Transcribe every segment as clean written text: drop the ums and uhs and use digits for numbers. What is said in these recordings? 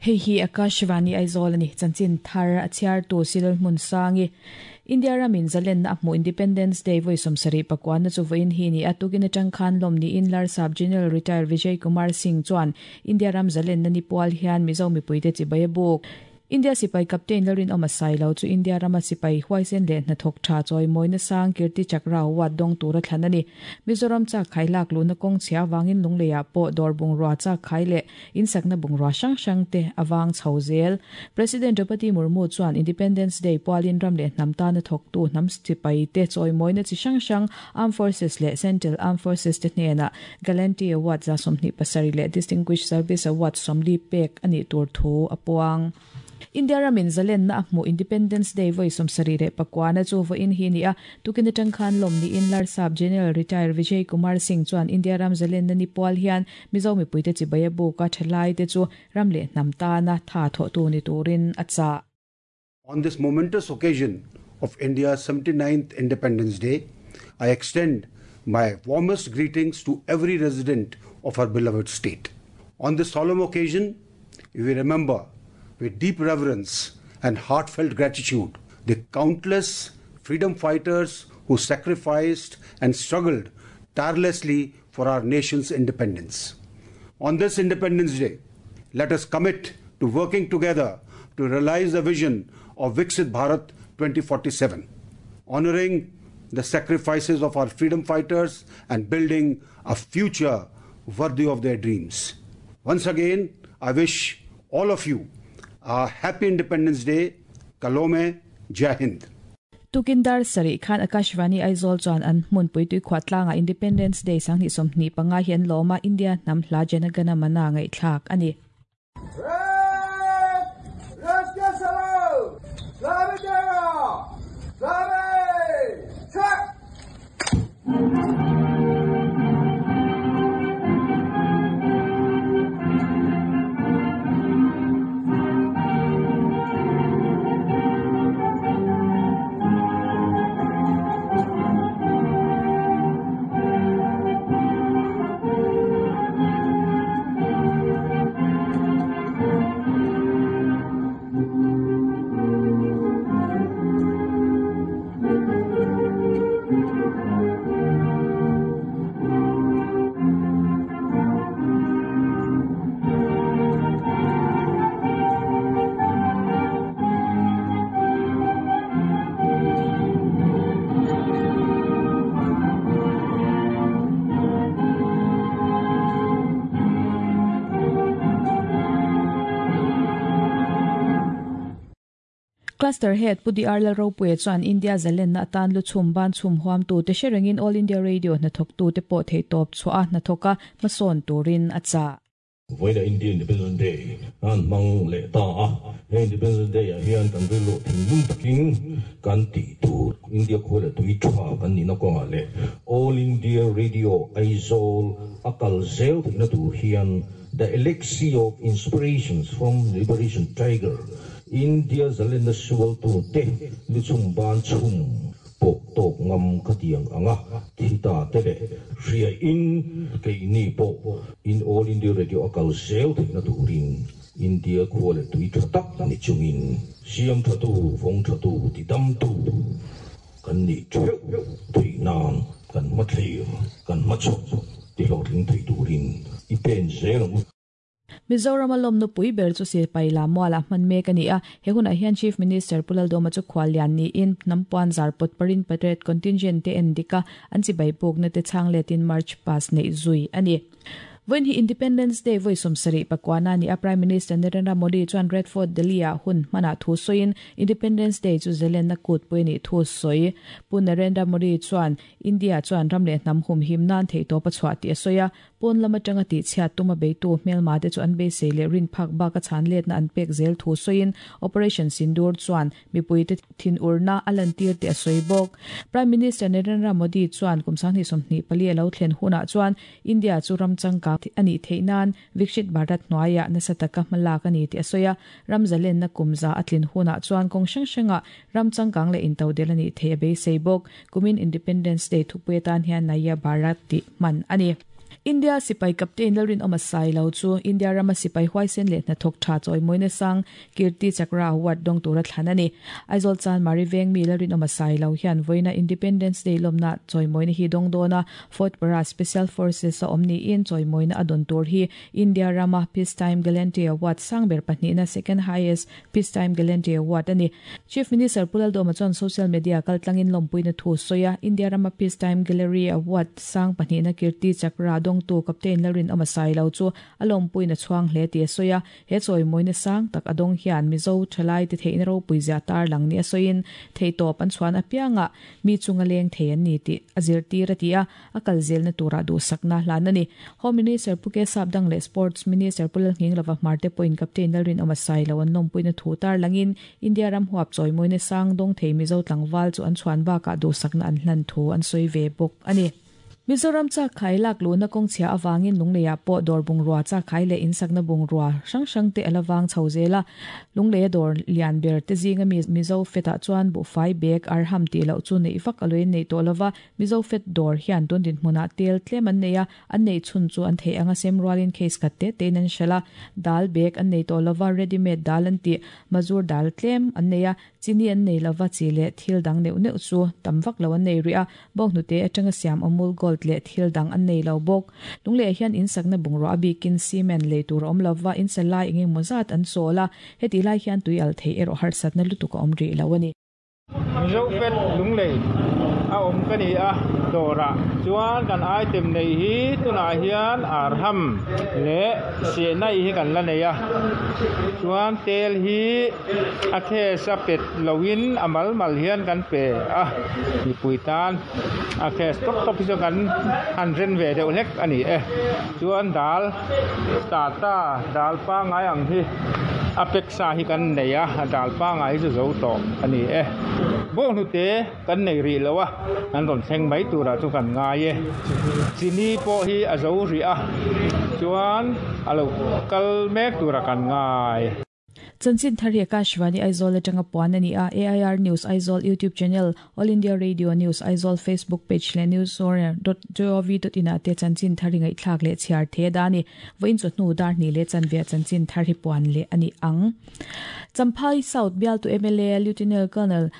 Hei hi Akashvani Aizawl a ni. Chanchin thar a chhiartu Silal Hmunsangi. India ramin zalenna a hmuh Independence Day vawi 70 pakuanna chu vawiin hi ni a. Tukin atang khan lawm niin Larsap General Retired Vijay Kumar Singh chuan India ram zalenna ni pual hian Mizo mipuite chibai a buk. India sipai captain Lalrinawma Sailo chu India rama sipai huaisen leh hnathawk tha chawimawina sang Kirti Chakra Award dawng tura thlan a ni. Mizoram chak khai lak luhna kawng chhia avangin Lungleiah pawh dawr bungrua chak khai leh insakna bungrua hrang hrang te a vang chho zel. President Draupadi Murmu chuan Independence Day pualin ram leh hnam tana thawktu hnam sipai te chawimawina chi hrang hrang Armed Forces leh Central Armed Forces te hnenah Gallantry Award 27 leh Distinguished Service Award 40 pek a nih tur thu a puang. India ramin zalenna a hmuh Independence Day vawi 79 na chu vawiin hi ni a. Tukin atang khan lawm niin Larsap General Retired Vijay Kumar Singh chuan India ram zalenna ni pual hian Mizo mipuite chibai a buk a, thalai te chu ram leh hnam tana tha thawhtu ni turin a chah. On this momentous occasion of India's 79th Independence Day, I extend my warmest greetings to every resident of our beloved state. On this solemn occasion, we remember with deep reverence and heartfelt gratitude the countless freedom fighters who sacrificed and struggled tirelessly for our nation's independence. On this Independence Day, let us commit to working together to realize the vision of Viksit Bharat 2047, honoring the sacrifices of our freedom fighters and building a future worthy of their dreams. Once again, I wish all of you a happy Independence Day. Kalome, Jai Hind. Tukin dar 7 khan Akashvani Aizawl chuan an hmunpui tuikhuah tlangah Independence Day 2025 hi an lawm a, India hnam hla Janagana Mana ngaihthlak a ni. Cluster Head Pu DR Lalropuia chuan India zalenna atan lu chhum ban chhum huamtu te hre rengin All India Radio hnathawktu te pawh theihtawp chhuah a hnathawk a hmasawn turin a chah. Vawiina India Independence Day an hmang leh ta a, he Independence Day ah hian kan rilru thinlung takin kan tih tur India khua leh tui tha kan nihna kawngah leh All India Radio Aizawl a kal zel theihna tur hian The Elixir of Inspirations from Liberation Tiger, India zalenna sualtu te lu chhum ban chhum pawh tawk ngam ka tiang ang a, thi ta te leh hria in keini pawh in All India Radio a kal zel theihna turin India khua leh tui tha tak ni chungin siam thatu, vawng thatu, tidamtu kan nih theuh theih nan kan hmathlir, kan hmachhawp tihlawhtling thei turin i pen zel ang u. Mizoram a lawmna pui ber chu Sipai Lamualah hman mek a ni a, he hunah hian Chief Minister Pu Laldawma chu khuallian niin hnam puan zar pawt parin parade contingent te en dik a, an chibai pukna te chhang letin march past neih zui a ni. Vawiin hi Independence Day vawi 79 a ni a, Prime Minister Narendra Modi chuan Red Fort Delhi-ah hun hmanah thu sawiin Independence Day chu zelenna kutpui a nih thu sawi. Pu Narendra Modi chuan India chuan ram leh hnam humhim nan theihtawp a chhuah tih a sawi a, pawn lam atanga tihchhiat tuma beitu hmelma te chu an beisei leh rin phak bak a chhan letna an pek zel thu sawiin Operation Sindoor chuan mipuite thinurna a lantir tih a sawi bawk. Prime Minister Narendra Modi chuan kum 2024 a lo thlen hunah chuan India chu ram changkang a nih theih nan Viksit Bharat hnuaiah nasa taka hmalak a ni tih a sawi a, ram zalenna kum za a tlin hunah chuan kawng hrang hrangah ram changkang leh intodel a nih theih a beisei bawk. Kumin Independence Day thupui atan hian Naya Bharat tih hman a ni. India sipai captain Lalrinawma Sailo chu India rama sipai huaisen leh hnathawk tha chawimawina sang Kirti Chakra Award dawng tura thlan a ni. Aizawl Chanmari veng mi Lalrinawma Sailo hian vawiina Independence Day lawmna chawimawina hi dawng dawn a, Fort Para Special Forces a awm niin chawimawina a dawn tur hi India rama Peacetime Gallantry Award sang ber pahnihna Second Highest Peacetime Gallantry Award a ni. Chief Minister Pu Laldawma chuan social media kaltlangin lawmpuina thu sawi a, India rama Peacetime Gallery Award sang pahnihna Kirti Chakra dawngtu Captain Lalrinawma Sailo chu a lawmpuina chhuang hle tih a sawi a, he chawimawina sang tak a dawng hian Mizo thalaite theihna ropui zia tarlang ni a sawiin theihtawp an chhuan apiangah mi chunga leng thei an ni tih a zirtir a ti a. a kal zelna turah duhsakna hlan a ni. Home Minister Pu Ke Sapdang leh Sports Minister Pu Lalnghinglova Hmarte pawhin Captain Lalrinawma Sailo an lawmpuina thu tarlangin India ram huap chawimawina sang dawng thei Mizo tlangval chu an chhuan bakah duhsakna an hlan thu an sawi ve bawk a ni. Mizoram chakkhai lak luhna kawngchhia avangin Lungleiah pawh dawr bungrua chakkhai leh insakna bungrua hrang hrang te a la vang chho zel a. Lungleia dawr lian ber te zinga mi Mizo fetah chuan buhfai bag arham tih loh chu neih vak a loin neih tawh lova, Mizo Fet dawr hian tun dinhmunah tel tlem an nei a, an neih chhun chu an theih anga sem rualin case khat te tein an hralh a. Dal bag an nei tawh lova, ready made dal an tih, mazur dal tlem an nei a, chini an nei lova, chi leh thil dang neuh neuh chu tam vak lo an nei rih a, bawnghnute atanga siam Amul Gold leh thil dang an nei lo bawk. Lungleh hian insakna bungrua a bikin cement lei tur a awm lova, insa lai eng emaw zat an chawl a, hetih lai hian tui al theih erawh harsatna lutuk a awm rih lo a ni. Mizo Pet Lunglei a awm ka ni a, dawrah chuan kan item neih hi tunah hian arham leh sehnaih hi kan la nei a, chuan tel hi a case a pet loin a mal mal hian kan pe a, mipui tan a case tawp tawp hi chu kan han ren ve deuh hlek a ni e, chuan dal tata dal pangngai ang hi a pack Sa hi kan nei a, a dal pangai hi chu zo tawh a ni e. Bawnghnute kan nei rih lo a, an rawn thleng mai turah chu kan ngai e. Chini pawh hi a zo rih a, chuan a lo kal mek turah kan ngai. Chanchin thar hi Akashvani Aizawl atanga puan a ni a, AIR News Aizawl YouTube channel, All India Radio News Aizawl Facebook page leh newsore.gov.in ah te chanchin thar hi ngaihthlak leh chhiar the da a ni. Vawiin chawhnu dar hnih leh chanve ah chanchin thar hi puan leh a ni ang. Champhai South bialtu mla Lieutenant Colonel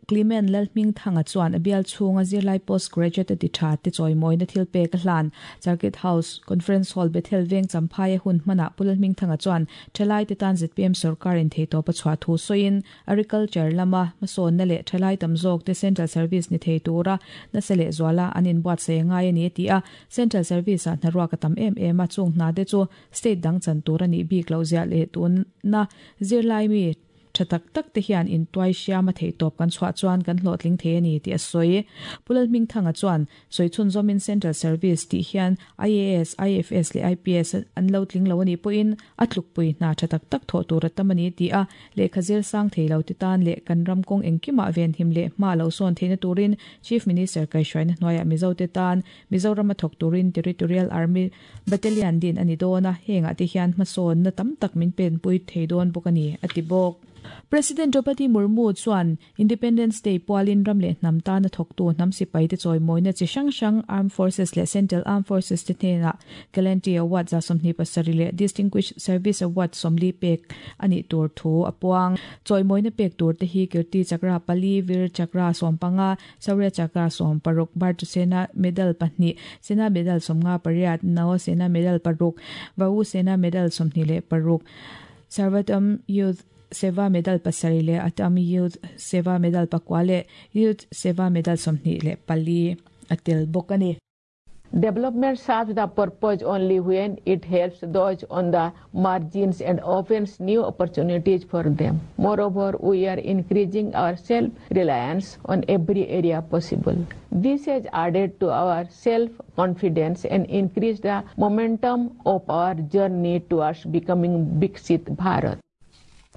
Clement Lalhmingthanga chuan a bial chhunga zirlai post graduate a ti tha te chawimawina thil pek a hlan. Circuit House Conference Hall Bethel Veng Champhai a hun hmanah Pu Lalhmingthanga chuan thalaite tan zpm sorkar in theihtawp a chhuah thu sawiin Agriculture lama hmasawnna leh thalai tam zawkte Central Service ni thei tura nasa leh zuala an inbuatsaih a ngai a ni a ti a. Central Service-ah hnaruak a tam em em a, chung hna te chu state dang chan tur a nih bik loh ziah leh tuna zirlai mi tha tak tak te hian intuai hriam a theihtawp kan chhuah chuan kan hlawhtling thei a ni tih a sawi. Pu Lalhmingthanga chuan Sawi chhunzawmin Central Service tih hian IAS, IFS leh IPS an lo tling lo a nih pawhin a tlukpui hna tha tak tak thawh tur a tam a ni ti a, lehkha zir sang thei lo te tan leh kan ram kawng engkimah venhim leh hma lo sawn theihna turin Chief Minister kaihhruaina hnuaiah Mizo te tan Mizoram a thawk turin Territorial Army Battalion din a ni dawn a, hengah te hian hmasawnna tam tak min penpui thei dawn bawk a ni, a ti bawk. President Draupadi Murmu chuan Independence Day pualin ram leh hnam tana thawktu hnam sipaite chawimawina chi hrang hrang Armed Forces leh Central Armed Forces te hnenah Gallantry Award 27 leh Distinguished Service Award 40 pek a nih tur thu a puang. Chawimawina pek tur te hi Kirti Chakra pali, Vir Chakra 15, Shaurya Chakra 16, Bhartu Sena Medal pahnih, Sena Medal 58, Nao Sena Medal paruk, Vayu Sena Medal 26, Sarvatam Youth Seva Medal pasarih leh Atam Youth Seva Medal pakua leh Youth Seva Medal 24 a tel bawk a ni. Development serves the purpose only when it helps those on the margins and opens new opportunities for them. Moreover, we are increasing our self-reliance on every area possible. This has added to our self-confidence and increased the momentum of our journey towards becoming Viksit Bharat.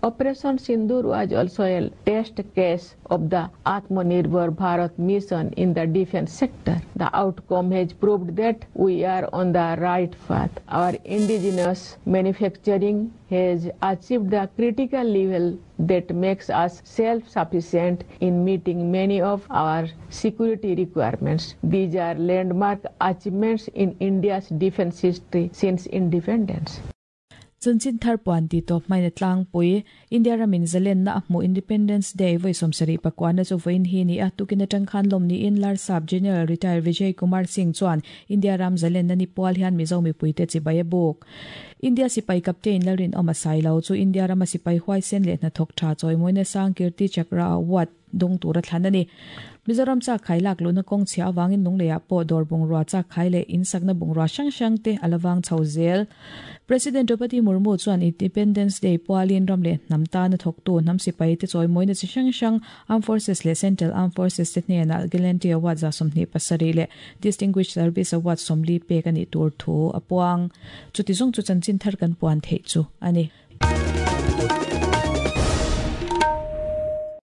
Operation Sindoor was also a test case of the Atmanirbhar Bharat mission in the defense sector. The outcome has proved that we are on the right path. Our indigenous manufacturing has achieved the critical level that makes us self-sufficient in meeting many of our security requirements. These are landmark achievements in India's defense history since independence. Chanchin thar puan ti tawp hmain a tlangpui. India ramin zalenna a hmuh Independence Day vawi 74 na chu vawiin hi ni a. Tukin atang khan lawm niin Larsap General Retired Vijay Kumar Singh chuan India ram zalenna ni pual hian Mizo mipuite chibai a buk. India sipai Captain Lalrinawma Sailo chu India rama sipai huaisen leh hnathawk tha chawimawina sang Kirti Chakra Award dawng tura thlan a ni. Mizoram chak khai lak luhna kawng chhia avangin lungleiah pawh dawr bungrua chak khai leh insakna bungrua hrang hrang te a la vang chho zel. President Draupadi Murmu chuan Independence Day pualin ram leh hnam tana thawktu hnam sipai te chawimawina chi hrang hrang Armed Forces leh Central Armed Forces te hnenah Gallantry Award 27 leh Distinguished Service Award 40 pek a nih tur thu a puang. Chuti zawng chu chanchin thar kan puan theih chu a ni.